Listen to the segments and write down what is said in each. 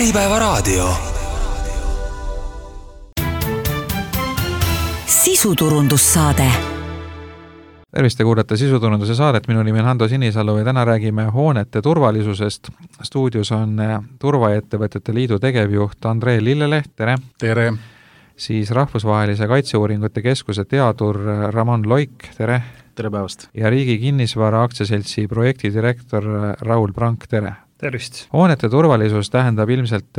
Äripäevaraadio. Sisuturundussaade. Tervist, te kuulate Sisuturunduse saadet. Minu nimi on Hando Sinisalu ja täna räägime hoonete turvalisusest. Stuudios on Turvaettevõtete Liidu tegevjuht Andrei Lilleleht, tere! Tere! Siis Rahvusvahelise Kaitseuuringute Keskuse teadur Ramon Loik, tere! Tere päevast! Ja Riigi Kinnisvara Aktsiaseltsi projektidirektor Raul Prank, tere! Tervist! Hoonete turvalisus tähendab ilmselt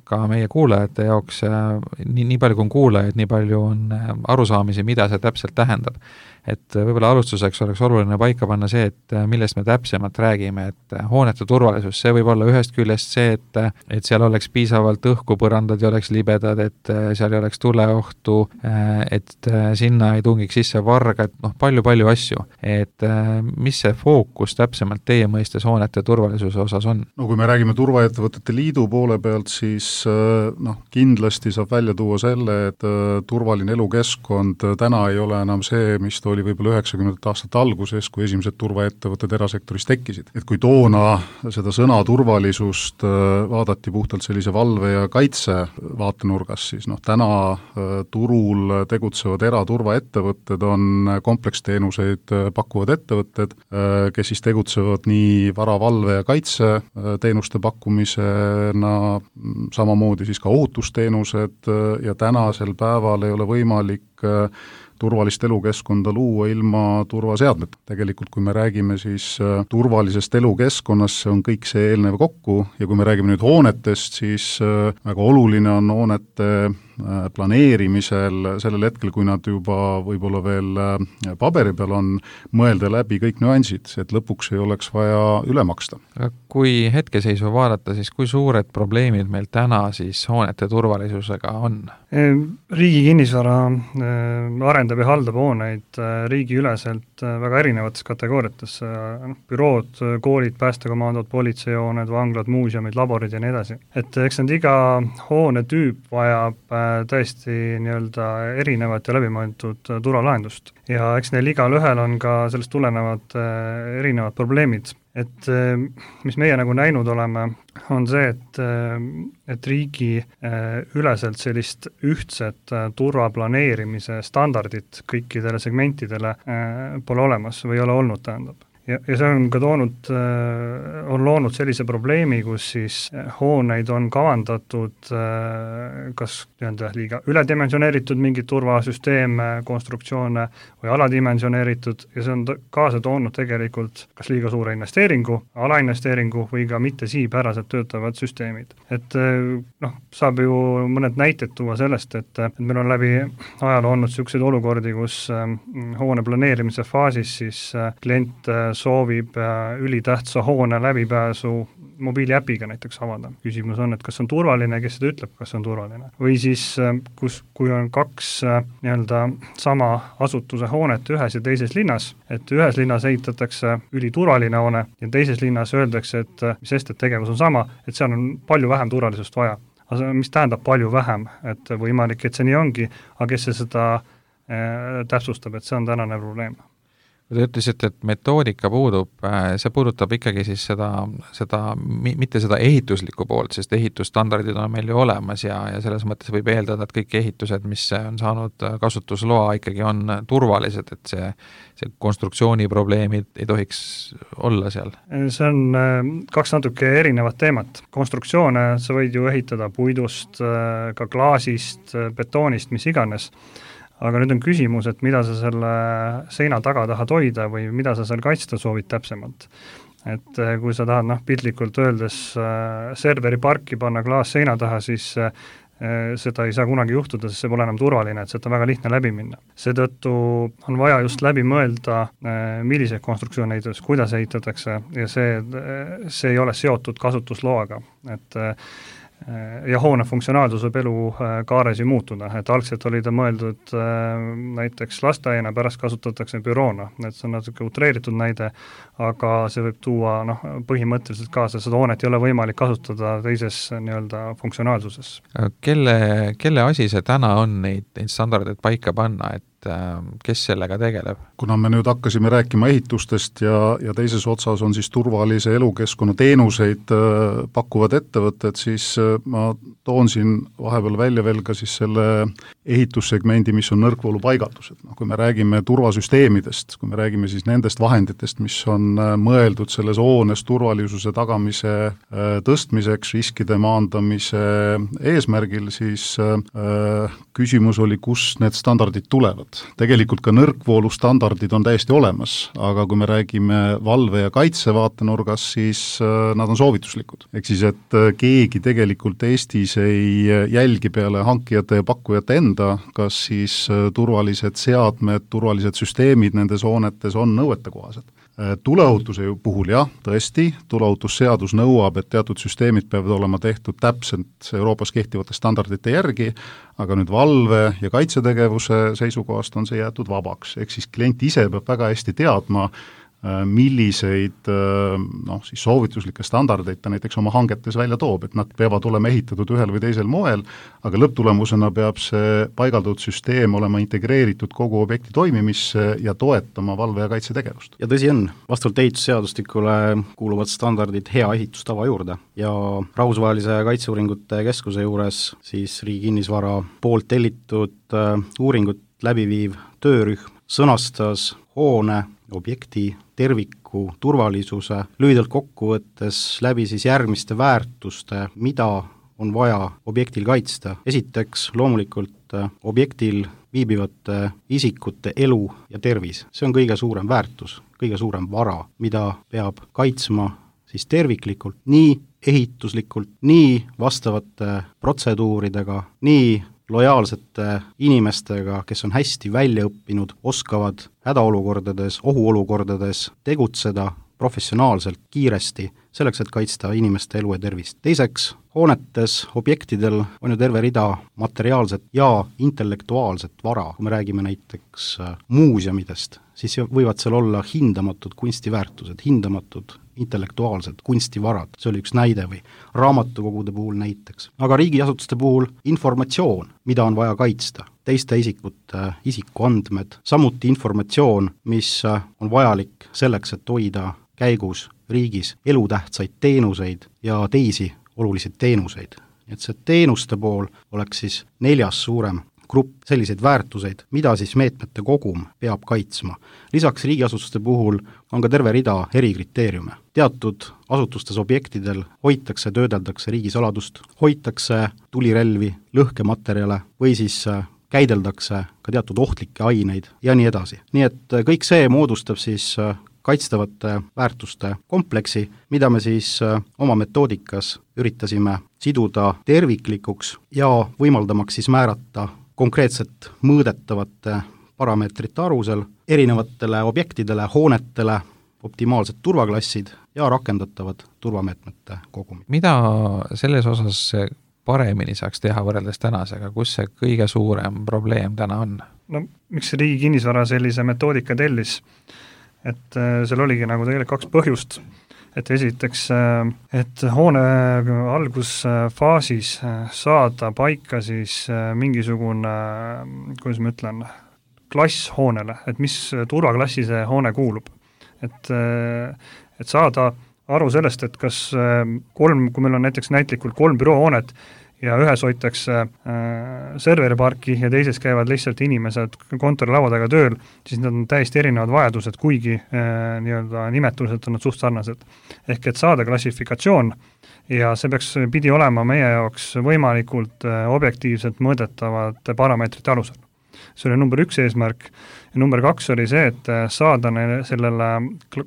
ka meie kuulajate jaoks, nii palju kui on kuulajaid, nii palju on arusaamisi, mida see täpselt tähendab. Et võib-olla alustuseks oleks oluline paika panna see, et millest me täpsemalt räägime, et hoonete turvalisus, see võib olla ühest küljest see, et seal oleks piisavalt õhku, põrandad ja oleks libedad, et seal ei oleks tuleohtu, et sinna ei tungiks sisse vargad, palju asju. Et mis see fookus täpsemalt teie mõistes hoonete turvalisuse osas on? No kui me räägime Turvaettevõtete Liidu poole pealt, siis kindlasti saab välja tuua selle, et turvaline elukeskkond täna ei ole enam see, mis oli võib-olla 90. aastate alguses, kui esimesed turvaettevõtted erasektoris tekkisid. Et kui toona seda sõna turvalisust vaadati puhtalt sellise valve ja kaitse vaatenurgas, siis täna turul tegutsevad eraturvaettevõtted on kompleksteenuseid pakkuvad ettevõtted, kes siis tegutsevad nii varavalve ja kaitse teenuste pakkumisena, samamoodi siis ka ohutusteenused ja tänasel päeval ei ole võimalik turvalist elukeskkonda luua ilma turvaseadmeta. Tegelikult kui me räägime siis turvalisest elukeskkonnast, see on kõik see eelnev kokku ja kui me räägime nüüd hoonetest, siis väga oluline on hoonete planeerimisel sellel hetkel, kui nad juba võib-olla veel paberi peal on, mõelda läbi kõik nüansid, et lõpuks ei oleks vaja üle maksta. Kui hetkeseisu vaadata, siis kui suured probleemid meil täna siis hoonete turvalisusega on? Riigi Kinnisvara arendab ja haldab hooneid riigiüleselt väga erinevates kategooriates. Bürood, koolid, päästekomandod, politseihooned, vanglad, muuseumid, laborid ja nii edasi. Et eks need iga hoone tüüp vajab tõesti erinevat ja läbimõeldud turvalahendust. Ja eks neil igal ühel on ka sellest tulenevad erinevad probleemid. Et mis meie näinud oleme, on see, et riigi üleselt sellist ühtset turvaplaneerimise standardit kõikidele segmentidele pole olemas või ei ole olnud, tähendab. Ja see on ka on loonud sellise probleemi, kus siis hooneid on kavandatud kas liiga üledimensioneeritud mingid turvasüsteeme, konstruktsioone või aladimensioneeritud ja see on kaasa toonud tegelikult kas liiga suure investeeringu, alainvesteeringu või ka mitte siipäraselt töötavad süsteemid. Et saab ju mõned näited tuua sellest, et meil on läbi ajaloo olnud selliseid olukordi, kus hoone planeerimise faasis siis klient soovib ülitähtsa hoone läbipääsu mobiiliäpiga näiteks avada. Küsimus on, et kas on turvaline, kes seda ütleb, kas on turvaline. Või siis, kui on kaks sama asutuse hoonet ühes ja teises linnas, et ühes linnas ehitatakse üliturvaline hoone ja teises linnas öeldakse, et mis sest, et tegevus on sama, et seal on palju vähem turvalisust vaja. Aga mis tähendab palju vähem, et võimalik, et see nii ongi, aga kes see seda täpsustab, et see on tänane probleem. Te ütlesite, et metoodika puudub, see puudutab ikkagi siis mitte seda ehituslikku poolt, sest ehitusstandardid on meil ju olemas ja selles mõttes võib eeldada, et kõik ehitused, mis on saanud kasutusloa, ikkagi on turvalised, et see konstruktsiooni probleemid ei tohiks olla seal. See on kaks natuke erinevat teemat. Konstruktsioone sa võid ju ehitada puidust, ka klaasist, betoonist, mis iganes. Aga nüüd on küsimus, et mida sa selle seina taga tahad hoida või mida sa seal kaitsta soovid täpsemalt. Et kui sa tahad piltlikult öeldes serveri parki panna klaas seina taha, siis seda ei saa kunagi juhtuda, sest see pole enam turvaline, et seda on väga lihtne läbi minna. Seetõttu on vaja just läbi mõelda, milliseid konstruktsioone ehitatakse, kuidas ehitatakse ja see ei ole seotud kasutusloaga. Et ja hoone funktsionaalsus võib elu kaares ju muutuda, et algselt oli ta mõeldud näiteks lasteaiana, pärast kasutatakse büroona, et see on natuke utreeritud näide, aga see võib tuua põhimõtteliselt kaasa, seda hoonet ei ole võimalik kasutada teises funktsionaalsuses. Kelle asi see täna on neid standardeid paika panna, et kes sellega tegeleb? Kuna me nüüd hakkasime rääkima ehitustest ja teises otsas on siis turvalise elukeskkonna teenuseid pakkuvad ettevõtted, siis ma toon siin vahepeal välja veel ka siis selle ehitussegmendi, mis on nõrkvoolupaigaldused. Kui me räägime turvasüsteemidest, kui me räägime siis nendest vahenditest, mis on mõeldud selles hoones turvalisuse tagamise tõstmiseks, riskide maandamise eesmärgil, siis küsimus oli, kus need standardid tulevad. Tegelikult ka nõrkvoolu standardid on täiesti olemas, aga kui me räägime valve- ja kaitsevaatenurgas, siis nad on soovituslikud. Ehk siis, et keegi tegelikult Eestis ei jälgi peale hankijate ja pakkujate enda, kas siis turvalised seadmed, turvalised süsteemid nendes hoonetes on nõuetekohased. Tuleohutuse puhul jah, tõesti, tuleohutusseadus nõuab, et teatud süsteemid peavad olema tehtud täpselt Euroopas kehtivate standardite järgi, aga nüüd valve- ja kaitsetegevuse seisukohast on see jäetud vabaks. Ehk siis klient ise peab väga hästi teadma, milliseid siis soovituslikke standardeid ta näiteks oma hangetes välja toob, et nad peavad olema ehitatud ühel või teisel moel, aga lõpptulemusena peab see paigaldatud süsteem olema integreeritud kogu objekti toimimisse ja toetama valve- ja kaitsetegevust. Ja tõsi on, vastavalt ehitusseadustikule kuuluvad standardid hea ehitustava juurde ja Rahvusvahelise Kaitseuuringute Keskuse juures siis Riigi Kinnisvara poolt tellitud uuringut läbiviiv töörühm sõnastas hoone objekti terviku turvalisuse lühidalt kokkuvõttes läbi siis järgmiste väärtuste, mida on vaja objektil kaitsta. Esiteks loomulikult objektil viibivate isikute elu ja tervis. See on kõige suurem väärtus, kõige suurem vara, mida peab kaitsma siis terviklikult, nii ehituslikult, nii vastavate protseduuridega, nii lojaalsete inimestega, kes on hästi välja õppinud, oskavad hädaolukordades, ohuolukordades tegutseda professionaalselt, kiiresti, selleks, et kaitsta inimeste elu ja tervist. Teiseks, hoonetes, objektidel on ju terve rida materiaalset ja intellektuaalset vara. Kui me räägime näiteks muuseumidest, siis võivad seal olla hindamatud kunstiväärtused, hindamatud intellektuaalsed kunstivarad, see oli üks näide või raamatukogude puhul näiteks. Aga riigiasutuste puhul informatsioon, mida on vaja kaitsta, teiste isikute isikuandmed, samuti informatsioon, mis on vajalik selleks, et hoida käigus riigis elutähtsaid teenuseid ja teisi olulisi teenuseid. Et see teenuste pool oleks siis 4. suurem grupp selliseid väärtuseid, mida siis meetmete kogum peab kaitsma. Lisaks riigiasutuste puhul on ka terve rida erikriteeriume. Teatud asutustes objektidel hoitakse, töödeldakse riigisaladust, hoitakse tulirelvi, lõhkematerjale või siis käideldakse ka teatud ohtlikke aineid ja nii edasi. Nii et kõik see moodustab siis kaitstavate väärtuste kompleksi, mida me siis oma metoodikas üritasime siduda terviklikuks ja võimaldamaks siis määrata konkreetselt mõõdetavate parameetrite arvusel erinevatele objektidele, hoonetele optimaalsed turvaklassid ja rakendatavad turvameetmete kogumid. Mida selles osas paremini saaks teha võrreldes tänasega, kus see kõige suurem probleem täna on? No miks Riigi Kinnisvara sellise metoodika tellis? Et seal oligi nagu tegelikult 2 põhjust. Et esiteks, et hoone algusfaasis saada paika siis mingisugune, kuidas ma ütlen, klass hoonele, et mis turvaklassi see hoone kuulub. Et saada aru sellest, et kas 3, kui meil on näiteks näitlikult 3 büroohoonet ja ühes hoitakse serveriparki ja teises käivad lihtsalt inimesed kontorilaua taga tööl, siis need on täiesti erinevad vajadused, kuigi nii-öelda nimetuselt on nad suht sarnased. Ehk et saada klassifikatsioon ja see pidi olema meie jaoks võimalikult objektiivselt mõõdetavate parameetrite alusel. See oli number 1 eesmärk ja number 2 oli see, et saada sellele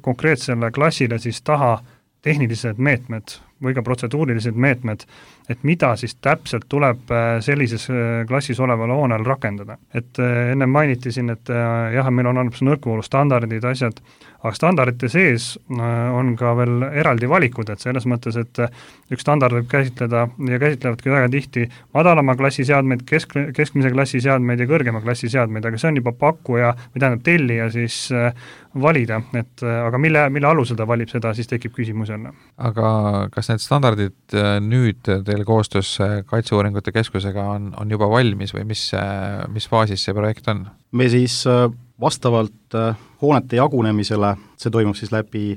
konkreetsele klassile siis taha tehnilised meetmed või ka protseduurilised meetmed, et mida siis täpselt tuleb sellises klassis oleval hoonel rakendada. Et enne mainiti siin, et jah, meil on nõrkvoolu standardid, asjad, aga standardite sees on ka veel eraldi valikud, et selles mõttes, et üks standard võib käsitleda ja käsitlevadki väga tihti madalama klassi seadmeid, keskmise klassi seadmeid ja kõrgema klassi seadmeid, aga see on juba pakkuja või tähendab tellija siis valida, et aga mille alusel ta valib, seda siis tekib küsimus jälle. Aga kas need standardid nüüd teil koostöös Kaitseuuringute Keskusega on juba valmis või mis faasis see projekt on? Me siis vastavalt hoonete jagunemisele, see toimub siis läbi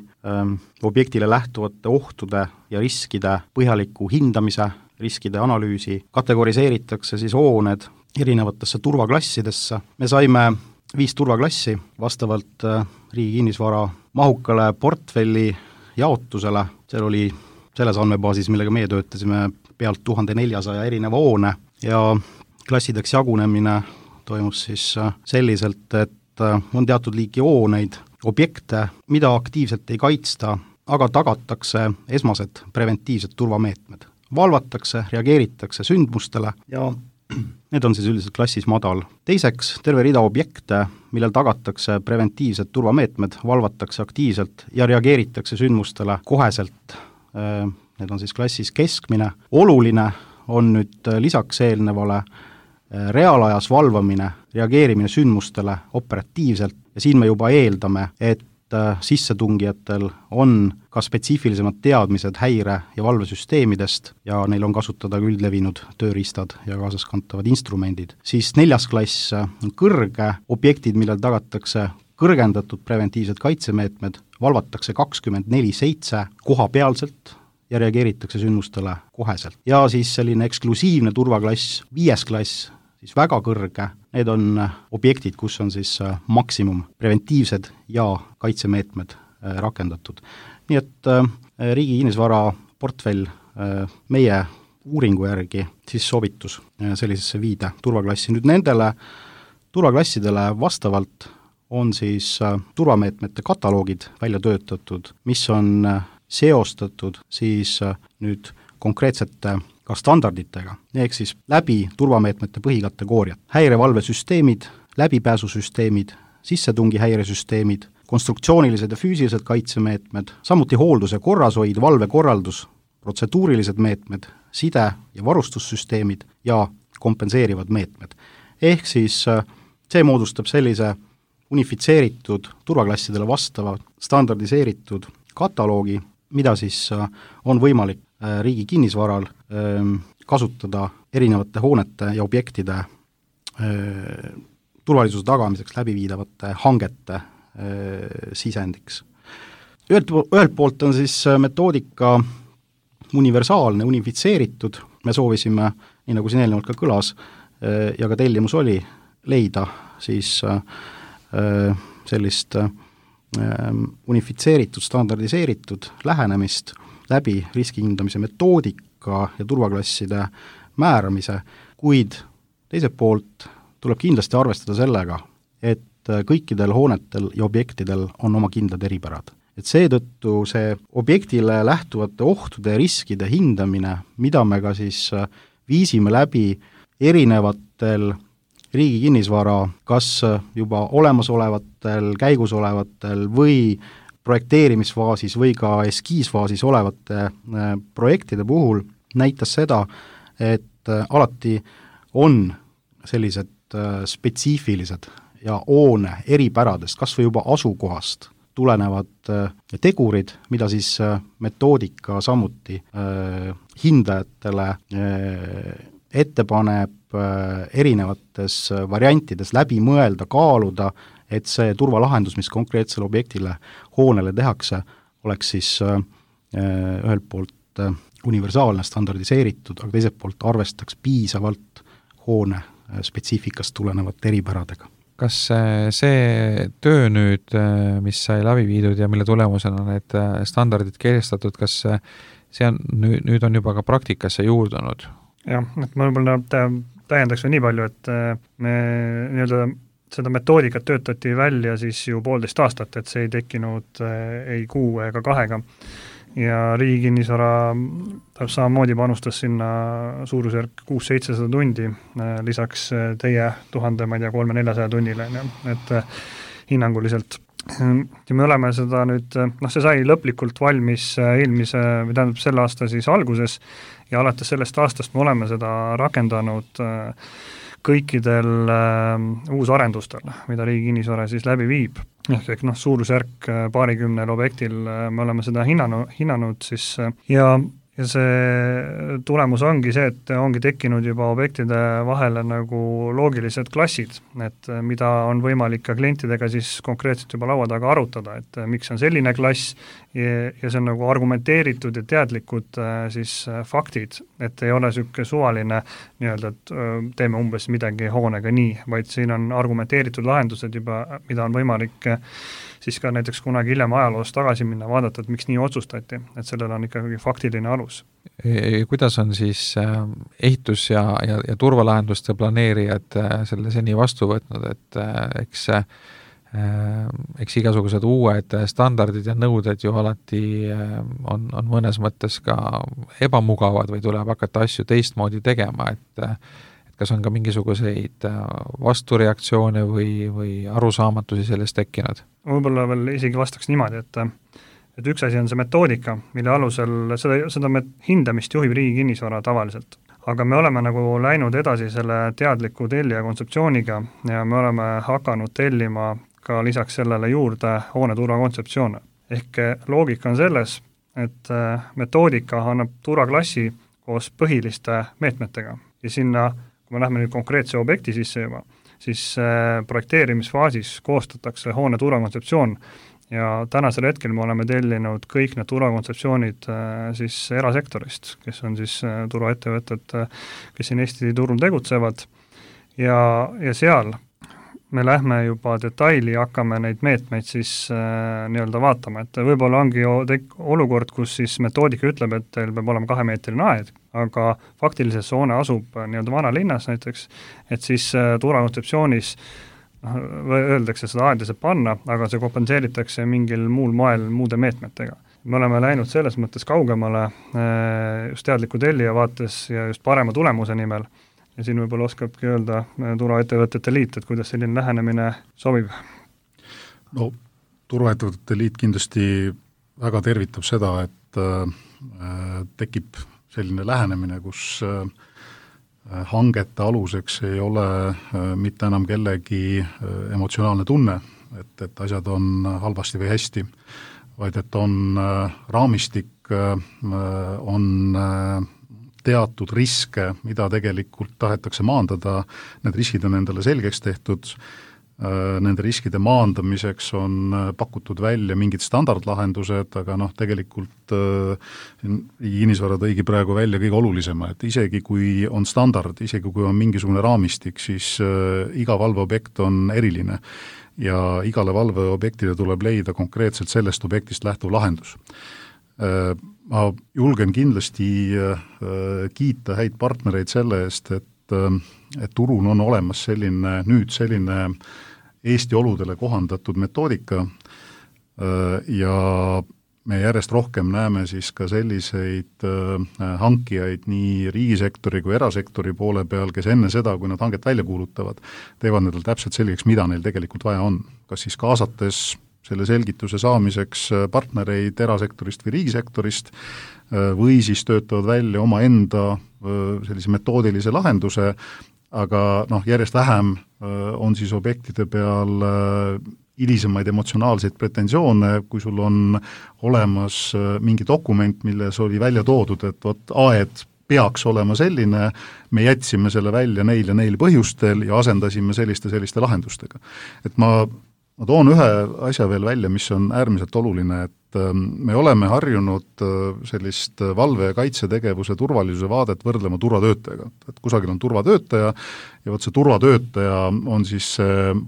objektile lähtuvate ohtude ja riskide põhjaliku hindamise, riskide analüüsi, kategoriseeritakse siis hooned erinevatesse turvaklassidesse. Me saime 5 turvaklassi vastavalt Riigi Kinnisvara mahukale portfelli jaotusele, seal oli selles andmebaasis, millega meie töötasime, pealt 1400 erineva hoone ja klassideks jagunemine toimus siis selliselt, et on teatud liiki hooneid, objekte, mida aktiivselt ei kaitsta, aga tagatakse esmased preventiivsed turvameetmed. Valvatakse, reageeritakse sündmustele ja need on siis üldiselt klassis madal. Teiseks, terve rida objekte, millel tagatakse preventiivsed turvameetmed, valvatakse aktiivselt ja reageeritakse sündmustele koheselt. Need on siis klassis keskmine. Oluline on nüüd lisaks eelnevale reaalajas valvamine, reageerimine sündmustele operatiivselt ja siin me juba eeldame, et sissetungijatel on ka spetsiifilisemad teadmised häire- ja valvesüsteemidest ja neil on kasutada üldlevinud tööriistad ja kaasaskantavad instrumendid. Siis 4. klass on kõrge, objektid, millel tagatakse kõrgendatud preventiivsed kaitsemeetmed, valvatakse 24/7 kohapealselt ja reageeritakse sündmustele koheselt. Ja siis selline eksklusiivne turvaklass, 5. klass, siis väga kõrge, need on objektid, kus on siis maksimum preventiivsed ja kaitsemeetmed rakendatud. Nii et Riigi Kinnisvara portfell meie uuringu järgi siis soovitus sellisesse 5 turvaklassi. Nüüd nendele turvaklassidele vastavalt on siis turvameetmete kataloogid välja töötatud, mis on seostatud siis nüüd konkreetsete ka standarditega, ehk siis läbi turvameetmete põhikategooriad, häirevalvesüsteemid, läbipääsusüsteemid, sissetungi häiresüsteemid, konstruktsioonilised ja füüsilised kaitsemeetmed, samuti hooldus- ja korrashoid, valvekorraldus, protseduurilised meetmed, side- ja varustussüsteemid ja kompenseerivad meetmed. Ehk siis see moodustab sellise unifitseeritud turvaklassidele vastava standardiseeritud kataloogi, mida siis on võimalik Riigi Kinnisvaral kasutada erinevate hoonete ja objektide turvalisuse tagamiseks läbiviidavate hangete sisendiks. Ühelt poolt on siis metoodika universaalne, unifitseeritud, me soovisime, nii nagu siin eelnevalt ka kõlas, ja ka tellimus oli, leida siis sellist unifitseeritud, standardiseeritud lähenemist läbi riskihindamise metoodika ja turvaklasside määramise, kuid teiselt poolt tuleb kindlasti arvestada sellega, et kõikidel hoonetel ja objektidel on oma kindlad eripärad. Et seetõttu see objektile lähtuvate ohtude ja riskide hindamine, mida me ka siis viisime läbi erinevatel Riigi Kinnisvara, kas juba olemasolevatel, käigusolevatel või projekteerimisfaasis või ka eskiisfaasis olevate projektide puhul näitas seda, et alati on sellised spetsiifilised ja hoone eripäradest, kas või juba asukohast tulenevad tegurid, mida siis metoodika samuti hindajatele ette paneb erinevates variantides läbi mõelda, kaaluda, et see turvalahendus, mis konkreetsele objektile, hoonele tehakse, oleks siis ühelt poolt universaalne, standardiseeritud, aga teiselt poolt arvestaks piisavalt hoone spetsiifikast tulenevate eripäradega. Kas see töö nüüd, mis sai läbi viidud ja mille tulemusena need standardid kehtestatud, kas see on, nüüd on juba ka praktikasse juurdunud? Jah, et ma võib-olla täiendaks nii palju, et me nii-öelda seda metoodikat töötati välja siis ju 1,5 aastat, et see ei tekkinud ei 6 ega 2 ja Riigi Kinnisvara samamoodi panustas sinna suurusjärk 600-700 tundi, lisaks teie 300-400 tunnile, et hinnanguliselt. Ja me oleme seda nüüd, see sai lõplikult valmis selle aasta siis alguses ja alates sellest aastast me oleme seda rakendanud kõikidel uusarendustel, mida Riigi Kinnisvara siis läbi viib. Ehk suurusjärk paarikümnel objektil me oleme seda hinnanud siis ja see tulemus ongi see, et ongi tekkinud juba objektide vahele nagu loogilised klassid, et mida on võimalik ka klientidega siis konkreetselt juba laua taga arutada, et miks on selline klass ja see on nagu argumenteeritud ja teadlikud siis faktid, et ei ole niisugune suvaline nii-öelda, et teeme umbes midagi hoonega nii, vaid siin on argumenteeritud lahendused juba, mida on võimalik siis ka näiteks kunagi hiljem ajaloos tagasi minna, vaadata, et miks nii otsustati, et sellel on ikkagi faktiline alus. Kuidas on siis ehitus- ja turvalahenduste planeerijad selle seni vastu võtnud, et eks igasugused uued standardid ja nõuded ju alati on mõnes mõttes ka ebamugavad või tuleb hakata asju teistmoodi tegema, et kas on ka mingisuguseid vastureaktsioone või arusaamatusi sellest tekkinud? Võib-olla veel isegi vastaks niimoodi, et üks asi on see metoodika, mille alusel seda hindamist juhib Riigi Kinnisvara tavaliselt. Aga me oleme nagu läinud edasi selle teadliku tellija kontseptsiooniga ja me oleme hakanud tellima ka lisaks sellele juurde hooneturvakontseptsioone. Ehk loogika on selles, et metoodika annab turvaklassi koos põhiliste meetmetega ja sinna, kui me lähme nüüd konkreetse objekti sisse juba, siis projekteerimisfaasis koostatakse hoone turvakontseptsioon ja tänasel hetkel me oleme tellinud kõik need turvakontseptsioonid siis erasektorist, kes on siis turvaettevõtted, kes siin Eesti turul tegutsevad ja seal me lähme juba detaili ja hakkame neid meetmeid siis nii-öelda vaatama, et võib-olla ongi olukord, kus siis metoodika ütleb, et teil peab olema 2-meetrine aed, aga faktiliselt see hoone asub nii-öelda vanalinnas näiteks, et siis turvakontseptsioonis öeldakse seda aeda saab panna, aga see kompenseeritakse mingil muul moel muude meetmetega. Me oleme läinud selles mõttes kaugemale just teadliku tellija vaates ja just parema tulemuse nimel ja siin võib-olla oskabki öelda turvaettevõtete liit, et kuidas selline lähenemine sobib? No turvaettevõtete liit kindlasti väga tervitab seda, et tekib selline lähenemine, kus hangete aluseks ei ole mitte enam kellegi emotsionaalne tunne, et asjad on halvasti või hästi, vaid et on raamistik, on teatud riske, mida tegelikult tahetakse maandada, need riskid on endale selgeks tehtud, nende riskide maandamiseks on pakutud välja mingid standardlahendused, aga tegelikult Riigi Kinnisvara tõigi praegu välja kõige olulisema, et isegi kui on standard, isegi kui on mingisugune raamistik, siis iga valveobjekt on eriline ja igale valveobjektile tuleb leida konkreetselt sellest objektist lähtuv lahendus. Ma julgen kindlasti kiita häid partnereid selle eest, et turul on olemas selline Eesti oludele kohandatud metoodika ja me järjest rohkem näeme siis ka selliseid hankijaid nii riigisektori kui erasektori poole peal, kes enne seda, kui nad hanget välja kuulutavad, teevad nendel täpselt selgeks, mida neil tegelikult vaja on. Kas siis kaasates selle selgituse saamiseks partnereid erasektorist või riigisektorist või siis töötavad välja omaenda sellise metoodilise lahenduse, aga järjest vähem on siis objektide peal hilisemaid emotsionaalseid pretensioone, kui sul on olemas mingi dokument, milles oli välja toodud, et vot aed peaks olema selline, me jätsime selle välja neil ja neil põhjustel ja asendasime selliste lahendustega. Et ma toon ühe asja veel välja, mis on äärmiselt oluline, et me oleme harjunud sellist valve- ja kaitsetegevuse turvalisuse vaadet võrdlema turvatöötajaga. Et kusagil on turvatöötaja ja vot see turvatöötaja on siis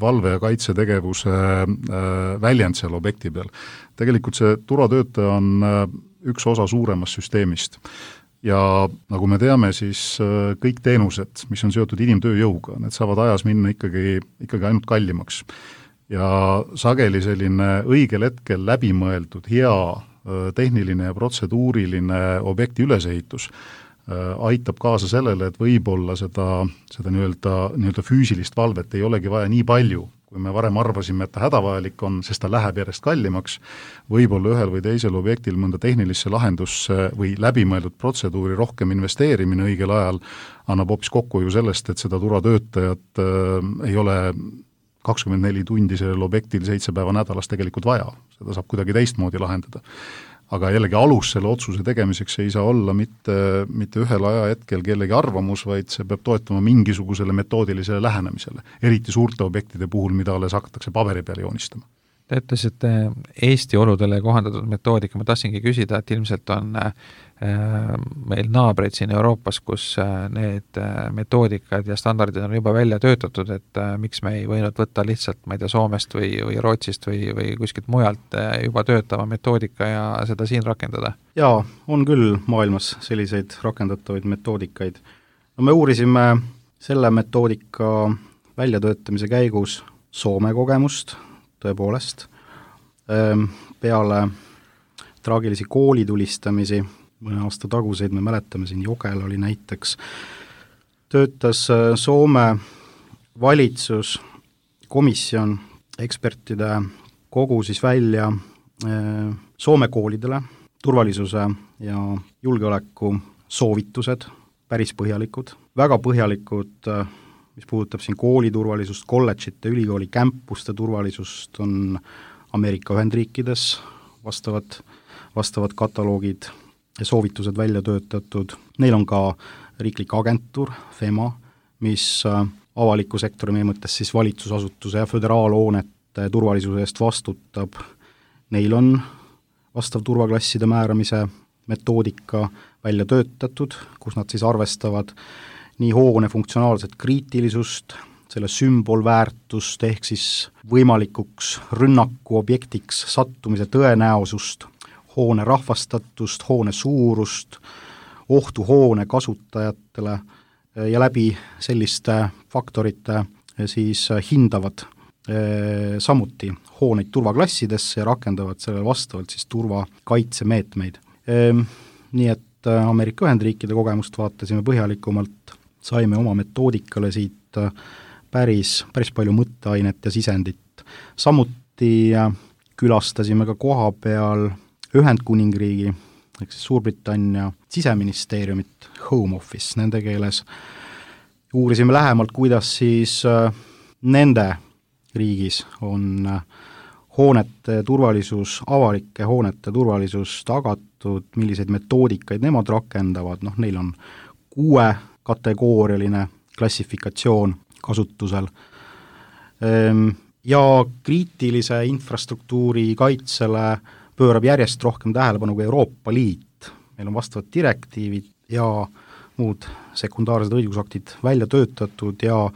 valve- ja kaitsetegevuse väljend seal objekti peal. Tegelikult see turvatöötaja on üks osa suuremast süsteemist. Ja nagu me teame, siis kõik teenused, mis on seotud inimtööjõuga, need saavad ajas minna ikkagi ainult kallimaks. Ja sageli selline õigel hetkel läbimõeldud, hea tehniline ja protseduuriline objekti ülesehitus aitab kaasa sellele, et võib-olla seda nii-öelda füüsilist valvet ei olegi vaja nii palju, kui me varem arvasime, et ta hädavajalik on, sest ta läheb järjest kallimaks, võib-olla ühel või teisel objektil mõnda tehnilisse lahendusse või läbimõeldud protseduuri rohkem investeerimine õigel ajal annab hoopis kokkuhoiu sellest, et seda turvatöötajat ei ole 24 tundi sellel objektil 7 päeva nädalas tegelikult vaja, seda saab kuidagi teistmoodi lahendada. Aga jällegi alus selle otsuse tegemiseks ei saa olla mitte ühel ajahetkel kellegi arvamus, vaid see peab toetuma mingisugusele metoodilisele lähenemisele, eriti suurte objektide puhul, mida alles hakatakse paberi peale joonistama. Te ütlesite Eesti oludele kohandatud metoodika, ma tahtsingi küsida, et ilmselt on meil naabreid siin Euroopas, kus need metoodikad ja standardid on juba välja töötatud, et miks me ei võinud võtta lihtsalt, ma ei tea, Soomest või Rootsist või kuskilt mujalt juba töötava metoodika ja seda siin rakendada? Jaa, on küll maailmas selliseid rakendatavaid metoodikaid. No me uurisime selle metoodika väljatöötamise käigus Soome kogemust, tõepoolest, peale traagilisi koolitulistamisi, mõne aasta taguseid me mäletame, siin Jogel oli näiteks, töötas Soome valitsuskomisjon, ekspertide kogu siis välja Soome koolidele turvalisuse ja julgeoleku soovitused, päris põhjalikud, väga põhjalikud, mis puudutab siin kooliturvalisust, kolledžite, ülikooli kämpuste turvalisust, on Ameerika Ühendriikides vastavad kataloogid ja soovitused välja töötatud. Neil on ka riiklik agentuur, FEMA, mis avaliku sektori meie mõttes siis valitsusasutuse ja föderaalhoonete turvalisuse eest vastutab. Neil on vastav turvaklasside määramise metoodika välja töötatud, kus nad siis arvestavad nii hoone funktsionaalset kriitilisust, selle sümbolväärtust ehk siis võimalikuks rünnaku objektiks sattumise tõenäosust, hoone rahvastatust, hoone suurust, ohtu hoone kasutajatele ja läbi selliste faktorite siis hindavad samuti hooneid turvaklassidesse ja rakendavad sellele vastavalt siis turvakaitsemeetmeid. Nii et Ameerika Ühendriikide kogemust vaatasime põhjalikumalt, saime oma metoodikale siit päris palju mõtteainet ja sisendit. Samuti külastasime ka koha peal Ühendkuningriigi, ehk siis Suurbritannia siseministeeriumit, Home Office nende keeles. Uurisime lähemalt, kuidas siis nende riigis on hoonete turvalisus, avalike hoonete turvalisus tagatud, milliseid metoodikaid nemad rakendavad, neil on 6 kategoorialine klassifikatsioon kasutusel. Ja kriitilise infrastruktuuri kaitsele pöörab järjest rohkem tähelepanu ka Euroopa Liit. Meil on vastavad direktiivid ja muud sekundaarsed õigusaktid välja töötatud ja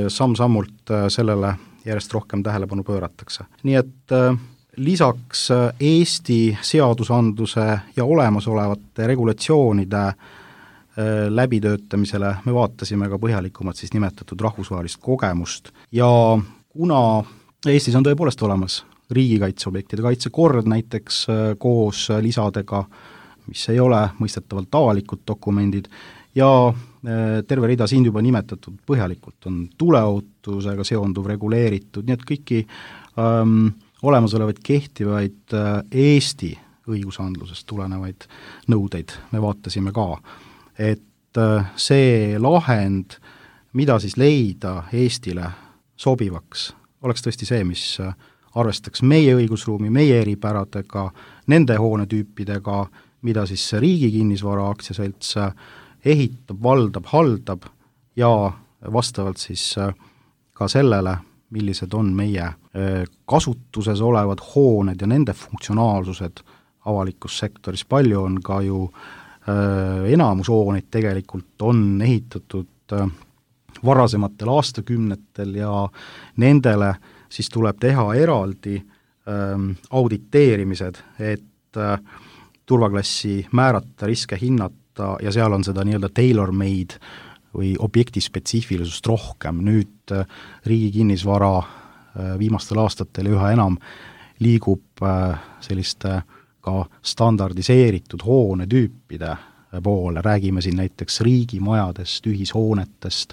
samm-sammult sellele järjest rohkem tähelepanu pööratakse. Nii et lisaks Eesti seadusandluse ja olemasolevate regulatsioonide läbitöötamisele me vaatasime ka põhjalikumalt siis nimetatud rahvusvahelist kogemust ja kuna Eestis on tõepoolest olemas riigikaitseobjektide kaitsekord näiteks koos lisadega, mis ei ole mõistetavalt avalikud dokumendid ja terve rida siin juba nimetatud põhjalikult on tuleohutusega seonduv reguleeritud, nii et kõiki olemasolevaid kehtivaid Eesti õigusandlusest tulenevaid nõudeid me vaatasime ka. Et see lahend, mida siis leida Eestile sobivaks, oleks tõesti see, mis arvestaks meie õigusruumi, meie eripäradega, nende hoonetüüpidega, mida siis Riigi Kinnisvara Aktsiaselts ehitab, valdab, haldab ja vastavalt siis ka sellele, millised on meie kasutuses olevad hooned ja nende funktsionaalsused avalikus sektoris. Palju on ka ju enamus hooneid tegelikult on ehitatud varasematel aastakümnetel ja nendele siis tuleb teha eraldi auditeerimised, et turvaklassi määrata, riske hinnata ja seal on seda nii-öelda tailor-made või objekti spetsiifilisust rohkem. Nüüd Riigi Kinnisvara viimastel aastatel üha enam liigub selliste ka standardiseeritud hoonetüüpide poole, räägime siin näiteks riigimajadest, ühishoonetest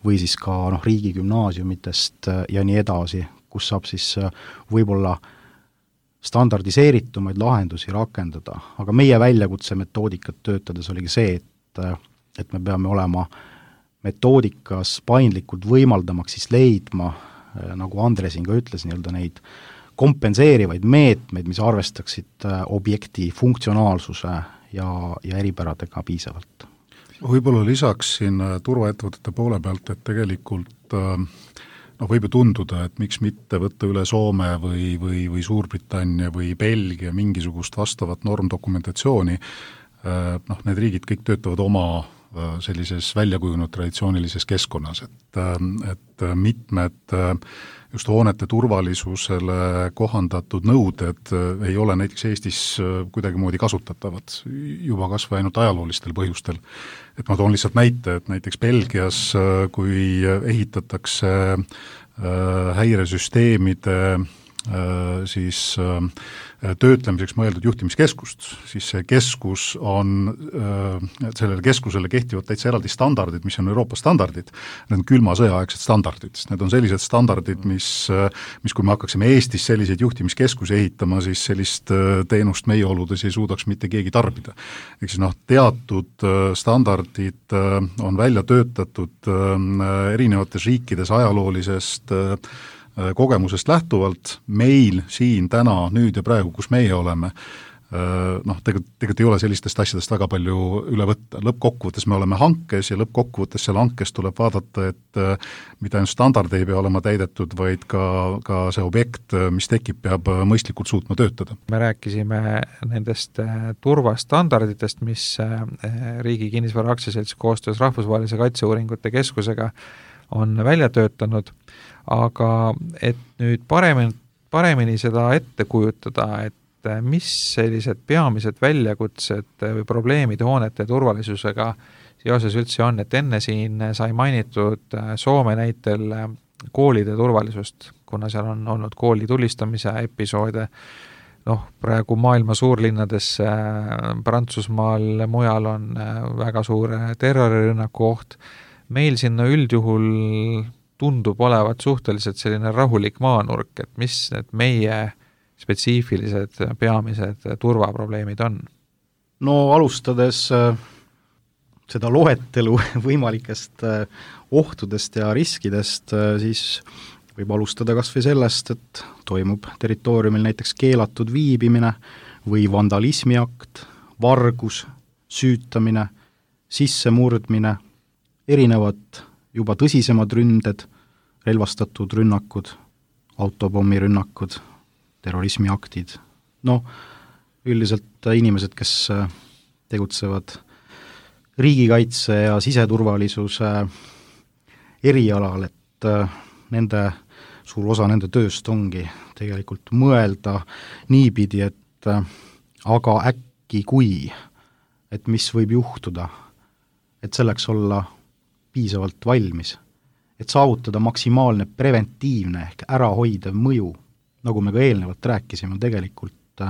või siis ka riigigümnaasiumitest ja nii edasi, kus saab siis võib-olla standardiseeritumaid lahendusi rakendada, aga meie väljakutse metoodikat töötades oligi see, et me peame olema metoodikas paindlikult võimaldamaks siis leidma, nagu Andre siin ka ütles, nii-öelda neid kompenseerivaid meetmeid, mis arvestaksid objekti funktsionaalsuse ja eripäradega piisavalt. Võib-olla lisaks siin turvaettevõtete poole pealt, et tegelikult võib ju tunduda, et miks mitte võtta üle Soome või Suurbritannia või Belgia mingisugust vastavat normdokumentatsiooni, need riigid kõik töötavad oma sellises väljakujunud traditsioonilises keskkonnas, et mitmed just hoonete turvalisusele kohandatud nõuded ei ole näiteks Eestis kuidagimoodi kasutatavad, juba kas või ainult ajaloolistel põhjustel. Et ma toon lihtsalt näite, et näiteks Belgias, kui ehitatakse häiresüsteemide siis töötlemiseks mõeldud juhtimiskeskust, siis see keskus on, sellele keskusele kehtivad täitsa eraldi standardid, mis on Euroopa standardid, need on külma sõjaaegsed standardid, need on sellised standardid, mis kui me hakkaksime Eestis selliseid juhtimiskeskusi ehitama, siis sellist teenust meie oludes ei suudaks mitte keegi tarbida. Ehk siis teatud standardid on välja töötatud erinevates riikides ajaloolisest kogemusest lähtuvalt, meil siin täna, nüüd ja praegu, kus meie oleme, tegelikult ei ole sellistest asjadest väga palju üle võtta. Lõppkokkuvõttes me oleme hankes ja lõppkokkuvõttes seal hankes tuleb vaadata, et mitte ainult standard ei pea olema täidetud, vaid ka see objekt, mis tekib, peab mõistlikult suutma töötada. Me rääkisime nendest turvastandarditest, mis Riigi Kinnisvara Aktsiaselts koostöös Rahvusvahelise Kaitseuuringute Keskusega on välja töötanud, aga et nüüd paremini seda ette kujutada, et mis sellised peamised väljakutsed või probleemid hoonete turvalisusega seoses üldse on, et enne siin sai mainitud Soome näitel koolide turvalisust, kuna seal on olnud kooli tulistamise episoode, praegu maailma suurlinnades Prantsusmaal, mujal on väga suur terrorirünnaku oht, meil sinna üldjuhul tundub olevat suhteliselt selline rahulik maanurk, et mis need meie spetsiifilised peamised turvaprobleemid on? No alustades seda loetelu võimalikest ohtudest ja riskidest, siis võib alustada kas või sellest, et toimub territooriumil näiteks keelatud viibimine või vandalismiakt, vargus, süütamine, sissemurdmine, erinevad juba tõsisemad ründed, relvastatud rünnakud, autopommirünnakud, terrorismiaktid. Üldiselt inimesed, kes tegutsevad riigikaitse ja siseturvalisuse erialal, et suur osa nende tööst ongi tegelikult mõelda niipidi, et aga äkki kui, et mis võib juhtuda, et selleks olla piisavalt valmis, et saavutada maksimaalne preventiivne ehk ärahoidev mõju, nagu me ka eelnevalt rääkisime, tegelikult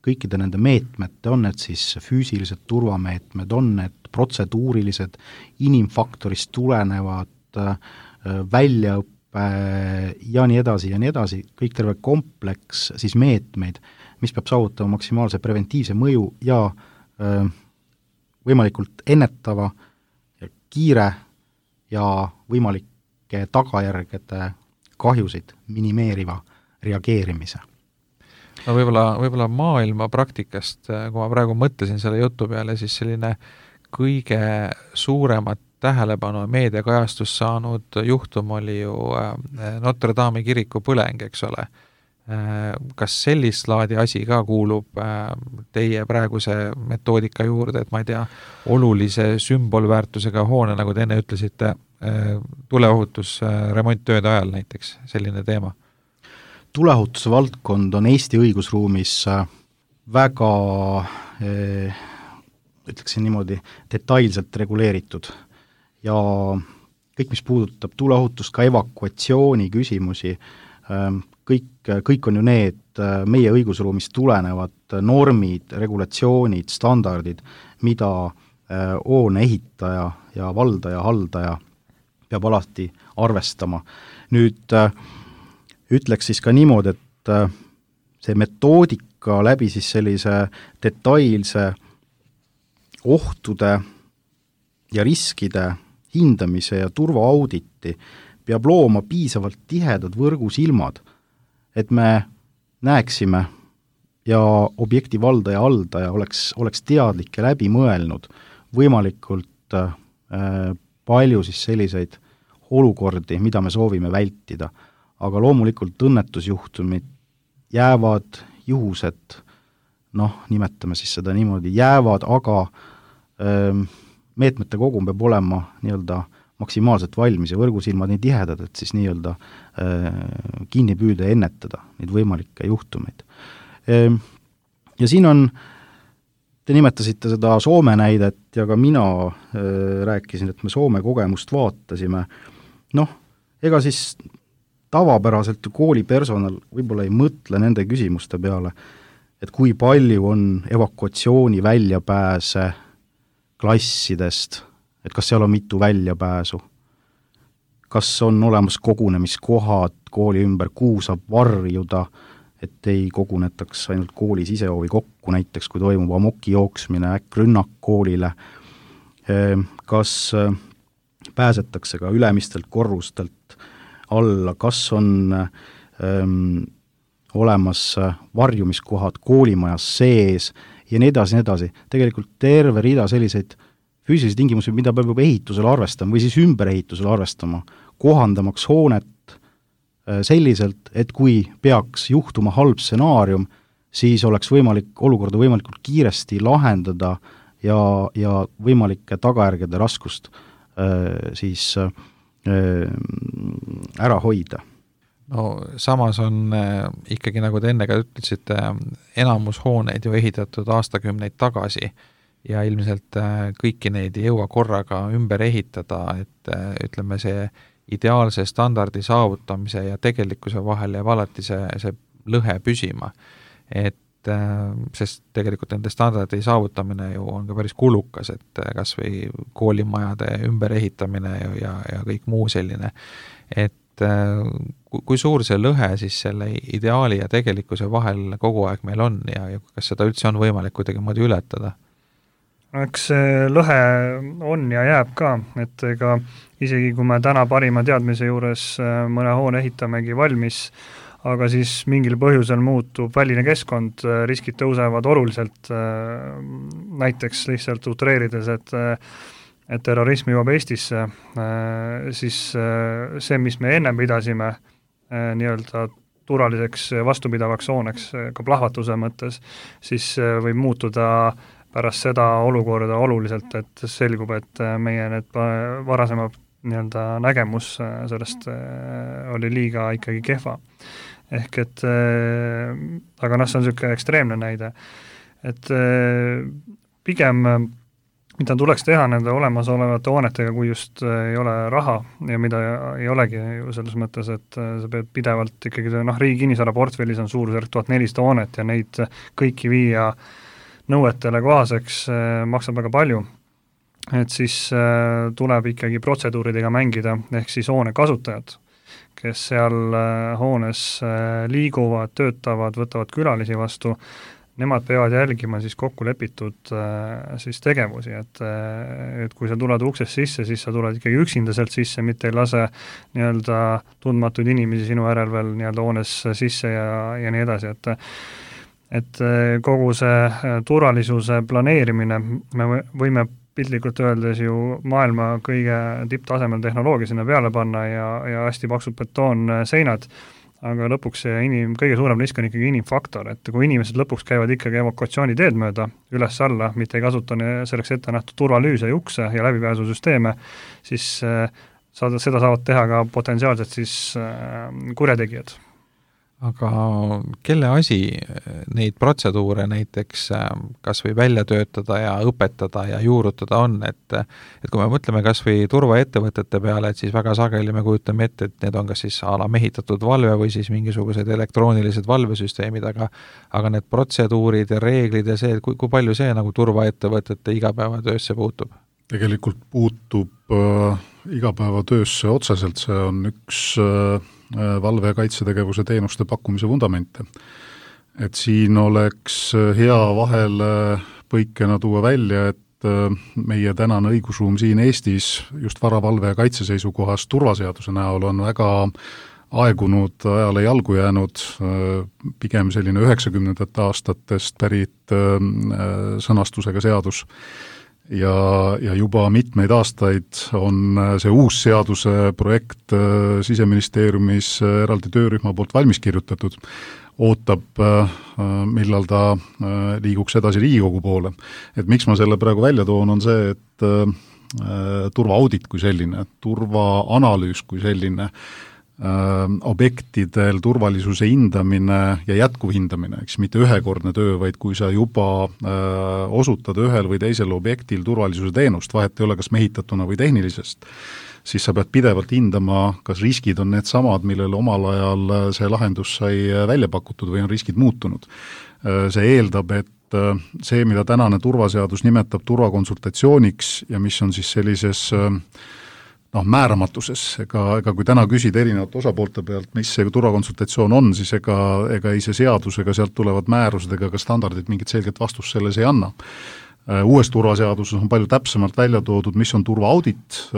kõikide nende meetmete, on need siis füüsilised turvameetmed, on need protseduurilised, inimfaktorist tulenevad väljaõppe ja nii edasi, kõik terve kompleks siis meetmeid, mis peab saavutama maksimaalse preventiivse mõju ja võimalikult ennetava ja kiire ja võimalike tagajärgede kahjusid minimeeriva reageerimise. No võib-olla maailma praktikast, kui ma praegu mõtlesin selle jutu peale, siis selline kõige suuremat tähelepanu meediakajastust saanud juhtum oli ju Notre Dame'i kiriku põleng, eks ole. Kas sellist laadi asi ka kuulub teie praeguse metoodika juurde, et ma ei tea, olulise sümbolväärtusega hoone, nagu te enne ütlesite, tuleohutus remonttööde ajal näiteks, selline teema? Tuleohutuse valdkond on Eesti õigusruumis väga, ütleksin niimoodi, detailselt reguleeritud ja kõik, mis puudutab tuleohutust, ka evakuatsiooni küsimusi, kõik on ju need meie õigusruumist tulenevad normid, regulatsioonid, standardid, mida hoone ehitaja ja valdaja, haldaja peab alati arvestama. Nüüd ütleks siis ka niimoodi, et see metoodika läbi siis sellise detailse ohtude ja riskide hindamise ja turvaauditi peab looma piisavalt tihedad võrgusilmad, et me näeksime ja objekti valdaja haldaja oleks teadlik ja läbi mõelnud võimalikult palju siis selliseid olukordi, mida me soovime vältida. Aga loomulikult õnnetusjuhtumid jäävad, juhused, nimetame siis seda niimoodi, jäävad, aga meetmete kogum peab olema nii-öelda maksimaalselt valmis ja võrgusilmad nii tihedad, et siis nii-öelda kinni püüda ja ennetada neid võimalikke juhtumeid. Ja siin on, te nimetasite seda Soome näidet ja ka mina rääkisin, et me Soome kogemust vaatasime. Ega siis tavapäraselt koolipersonal võib-olla ei mõtle nende küsimuste peale, et kui palju on evakuatsiooni väljapääse klassidest, et kas seal on mitu väljapääsu, kas on olemas kogunemiskohad kooli ümber, kuhu saab varjuda, et ei kogunetaks ainult kooli sisehoovi kokku, näiteks kui toimub amoki jooksmine, äkkrünnak koolile, kas pääsetakse ka ülemistelt korrustelt alla, kas on olemas varjumiskohad koolimajas sees ja nii edasi. Tegelikult terve rida selliseid füüsilisi tingimusi, mida peab juba ehitusel arvestama või siis ümberehitusel arvestama, kohandamaks hoonet selliselt, et kui peaks juhtuma halb stsenaarium, siis oleks olukorda võimalikult kiiresti lahendada ja võimalike tagajärgede raskust siis ära hoida. Samas on ikkagi, nagu te enne ka ütlesite, enamus hooneid ju ehitatud aastakümneid tagasi ja ilmselt kõiki neid ei jõua korraga ümber ehitada, et ütleme, see ideaalse standardi saavutamise ja tegelikkuse vahel jääb alati see lõhe püsima. Sest tegelikult nende standardi saavutamine ju on ka päris kulukas, et kas või koolimajade ümber ehitamine ja kõik muu selline. Et kui suur see lõhe siis selle ideaali ja tegelikkuse vahel kogu aeg meil on ja kas seda üldse on võimalik kuidagi moodi ületada? Eks see lõhe on ja jääb ka, et ega isegi kui me täna parima teadmise juures mõne hoone ehitamegi valmis, aga siis mingil põhjusel muutub väline keskkond, riskid tõusevad oluliselt, näiteks lihtsalt utreerides, et terrorism jõuab Eestisse, siis see, mis me enne pidasime nii-öelda turvaliseks vastupidavaks hooneks ka plahvatuse mõttes, siis võib muutuda pärast seda olukorda oluliselt, et selgub, et meie need varasemad nii-öelda nägemus sellest oli liiga ikkagi kehva. Ehk et, aga see on niisugune ekstreemne näide, et pigem mida tuleks teha nende olemasolevate hoonetega, kui just ei ole raha ja mida ei olegi ju selles mõttes, et sa pead pidevalt ikkagi, riigi kinnisvara portfellis on suurusjärk 1400 hoonet ja neid kõiki viia nõuetele kohaseks maksab väga palju, et siis tuleb ikkagi protseduuridega mängida, ehk siis hoone kasutajad, kes seal hoones liiguvad, töötavad, võtavad külalisi vastu, nemad peavad jälgima siis kokku lepitud siis tegevusi, et kui sa tuled uksest sisse, siis sa tuled ikkagi üksinda sealt sisse, mitte ei lase nii-öelda tundmatuid inimesi sinu järel veel nii-öelda hoones sisse ja nii edasi, et kogu see turvalisuse planeerimine, me võime piltlikult öeldes ju maailma kõige tipptasemel tehnoloogia sinna peale panna ja hästi paksud betoonseinad, aga lõpuks see kõige suurem risk on ikkagi inimfaktor, et kui inimesed lõpuks käivad ikkagi evakuatsiooniteed mööda üles-alla, mitte ei kasuta selleks ette nähtud turvalüüse ja ukse ja läbipääsusüsteeme, siis seda saavad teha ka potentsiaalselt siis kurjategijad. Aga kelle asi neid protseduure näiteks kas või välja töötada ja õpetada ja juurutada on, et kui me mõtleme kas või turvaettevõtete peale, et siis väga sageli me kujutame ette, et need on kas siis mehitatud valve või siis mingisugused elektroonilised valvesüsteemid, aga need protseduurid ja reeglid ja see, kui palju see nagu turvaettevõtete igapäevatöösse puutub? tegelikult puutub igapäevatöösse otseselt, see on üks valve- ja kaitsetegevuse teenuste pakkumise vundamente. Et siin oleks hea vahele põikena tuua välja, et meie tänane õigusruum siin Eestis just varavalve ja kaitse seisukohast turvaseaduse näol on väga aegunud, ajale jalgu jäänud, pigem selline 90. aastatest pärit sõnastusega seadus. Ja juba mitmeid aastaid on see uus seaduse projekt Siseministeeriumis eraldi töörühma poolt valmis kirjutatud, ootab, millal ta liiguks edasi Riigikogu poole. Et miks ma selle praegu välja toon, on see, et turvaaudit kui selline, turvaanalüüs kui selline, objektidel turvalisuse hindamine ja jätkuv hindamine, eks mitte ühekordne töö, vaid kui sa juba osutad ühel või teisel objektil turvalisuse teenust, vahet ei ole kas mehitatuna või tehnilisest, siis sa pead pidevalt hindama, kas riskid on need samad, millele omal ajal see lahendus sai välja pakutud või on riskid muutunud. See eeldab, et see, mida tänane turvaseadus nimetab turvakonsultatsiooniks ja mis on siis sellises määramatuses, ega kui täna küsida erinevate osapoolte pealt, mis see turvakonsultatsioon on, siis ega ei see seadus, ega sealt tulevad määrused ega ka standardid mingit selget vastust selles ei anna. Uues turvaseaduses on palju täpsemalt välja toodud, mis on turvaaudit,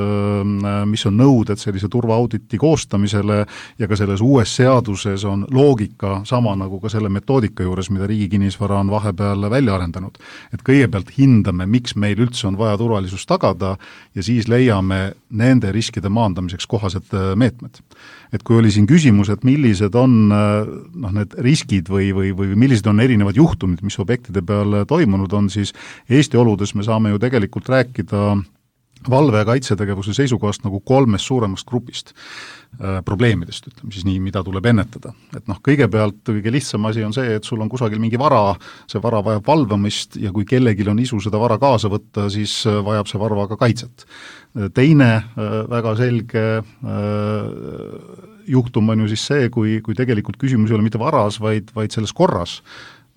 mis on nõuded sellise turvaauditi koostamisele ja ka selles uues seaduses on loogika sama nagu ka selle metoodika juures, mida Riigi Kinnisvara on vahepeal välja arendanud. Et kõigepealt hindame, miks meil üldse on vaja turvalisust tagada ja siis leiame nende riskide maandamiseks kohased meetmed. Et kui oli siin küsimus, et millised on need riskid või millised on erinevad juhtumid, mis objektide peal toimunud on, siis Eesti oludes me saame ju tegelikult rääkida valve- ja kaitsetegevuse seisukohast nagu 3 suuremast grupist probleemidest, ütleme siis nii, mida tuleb ennetada. Et kõigepealt kõige lihtsam asi on see, et sul on kusagil mingi vara, see vara vajab valvamist ja kui kellelgi on isu seda vara kaasa võtta, siis vajab see vara ka kaitset. Teine väga selge juhtum on ju siis see, kui tegelikult küsimus ei ole mitte varas, vaid selles korras,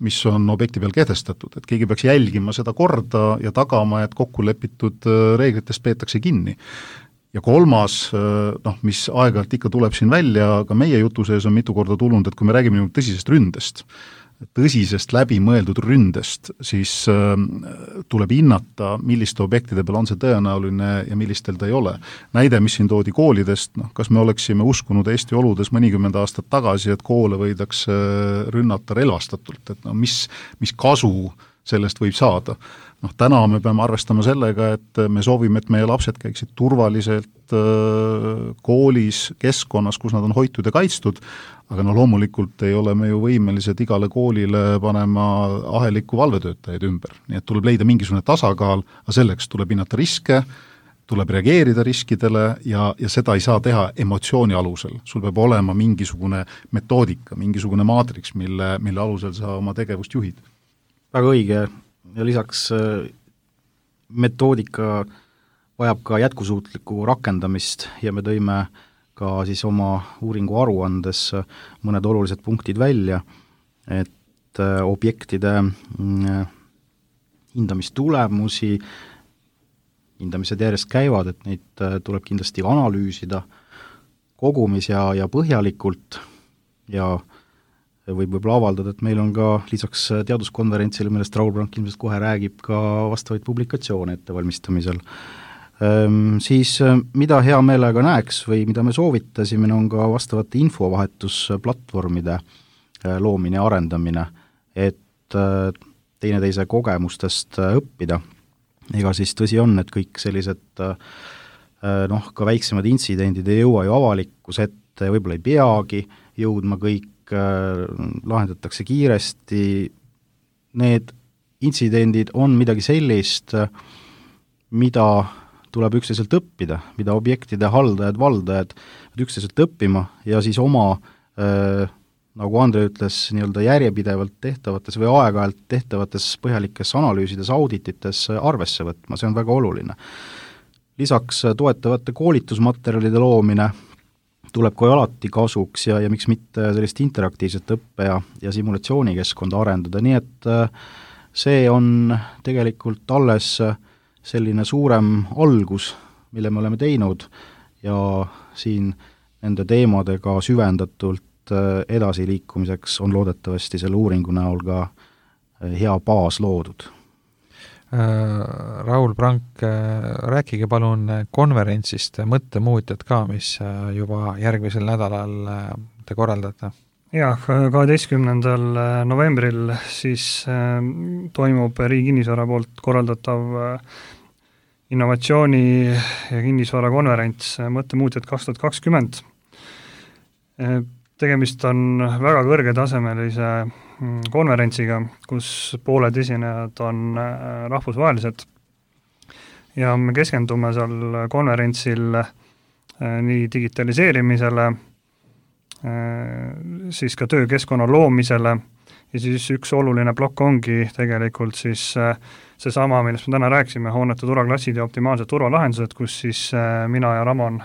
mis on objekti peal kehtestatud, et keegi peaks jälgima seda korda ja tagama, et kokkulepitud reeglitest peetakse kinni. Ja kolmas, mis aeg-ajalt ikka tuleb siin välja, ka meie jutu sees on mitu korda tulnud, et kui me räägime tõsisest läbimõeldud ründest, siis tuleb hinnata, milliste objektide peal on see tõenäoline ja millistel ta ei ole. Näide, mis siin toodi koolidest, kas me oleksime uskunud Eesti oludes mõnikümmend aastat tagasi, et koole võidakse rünnata relvastatult, et mis kasu sellest võib saada. Täna me peame arvestama sellega, et me soovime, et meie lapsed käiksid turvaliselt koolis, keskkonnas, kus nad on hoitud ja kaitstud, aga loomulikult ei ole me ju võimelised igale koolile panema ahelikku valvetöötajaid ümber. Nii et tuleb leida mingisugune tasakaal, aga selleks tuleb hinnata riske, tuleb reageerida riskidele ja seda ei saa teha emotsiooni alusel. Sul peab olema mingisugune metoodika, mingisugune maatriks, mille alusel sa oma tegevust juhid. Väga õige ja lisaks metoodika vajab ka jätkusuutlikku rakendamist ja me tõime ka siis oma uuringu aruandes mõned olulised punktid välja, et objektide hindamistulemusi, hindamised järjest käivad, et neid tuleb kindlasti analüüsida kogumis ja põhjalikult ja võib-olla avaldada, et meil on ka lisaks teaduskonverentsile, millest Raul Brank ilmselt kohe räägib, ka vastavaid publikatsioone ettevalmistamisel. Siis mida hea meelega näeks või mida me soovitasime, on ka vastavate infovahetusplatvormide loomine ja arendamine, et teineteise kogemustest õppida. Ega siis tõsi on, et kõik sellised ka väiksemad intsidendid ei jõua ju avalikkuse ette, võib-olla ei peagi jõudma kõik, lahendatakse kiiresti. Need intsidendid on midagi sellist, mida tuleb üksteiselt õppida, mida objektide haldajad, valdajad üksteiselt õppima ja siis oma, nagu Andre ütles, nii-öelda järjepidevalt tehtavates või aeg-ajalt tehtavates põhjalikes analüüsides, auditites arvesse võtma, see on väga oluline. Lisaks toetavate koolitusmaterjalide loomine tuleb ka alati kasuks ja miks mitte sellist interaktiivset õppe ja simulatsiooni keskkonda arendada, nii et see on tegelikult alles selline suurem algus, mille me oleme teinud ja siin nende teemadega süvendatult edasiliikumiseks on loodetavasti selle uuringu näol ka hea baas loodud. Raul Prank, rääkige palun konverentsist Mõttemuutjad ka, mis juba järgmisel nädalal te korraldate. Jah, 12. novembril siis toimub Riigi Kinnisvara poolt korraldatav innovatsiooni ja kinnisvara konverents Mõttemuutjad 2020. Tegemist on väga kõrgetasemelise konverentsiga, kus pooled esinejad on rahvusvahelised ja me keskendume seal konverentsil nii digitaliseerimisele, siis ka töökeskkonna loomisele ja siis üks oluline plokk ongi tegelikult siis seesama, millest me täna rääkisime, hoonete turvaklassid ja optimaalsed turvalahendused, kus siis mina ja Ramon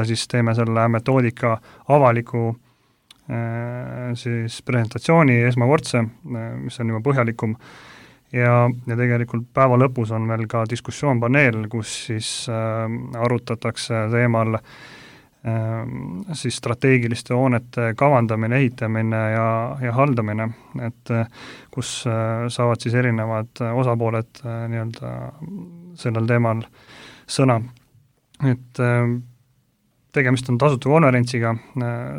siis teeme selle metoodika avaliku siis presentatsiooni esmakordse, mis on juba põhjalikum ja tegelikult päeva lõpus on meil ka diskussioonpaneel, kus siis arutatakse teemal siis strateegiliste hoonete kavandamine, ehitamine ja haldamine, et kus saavad siis erinevad osapooled nii-öelda sellel teemal sõna. Et tegemist on tasuta konverentsiga,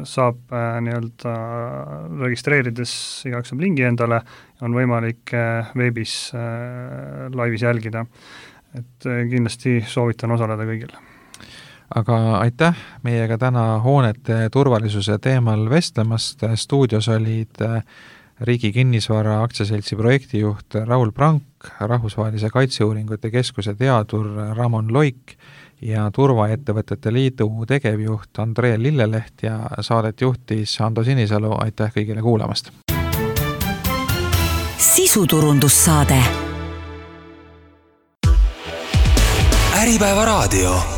saab nii-öelda registreerides igaks saab lingi endale, on võimalik veebis laivis jälgida. Et kindlasti soovitan osaleda kõigile. Aga aitäh meiega täna hoonete turvalisuse teemal vestlemast. Stuudios olid Riigi Kinnisvara aktsiaseltsi projektijuht Raul Prank, Rahvusvahelise Kaitseuuringute Keskuse teadur Ramon Loik ja Turvaettevõtete Liidu tegevjuht Andre Lilleleht ja saadet juhtis Ando Sinisalu. Aitäh kõigile kuulamast! Sisuturundussaade. Äripäeva raadio.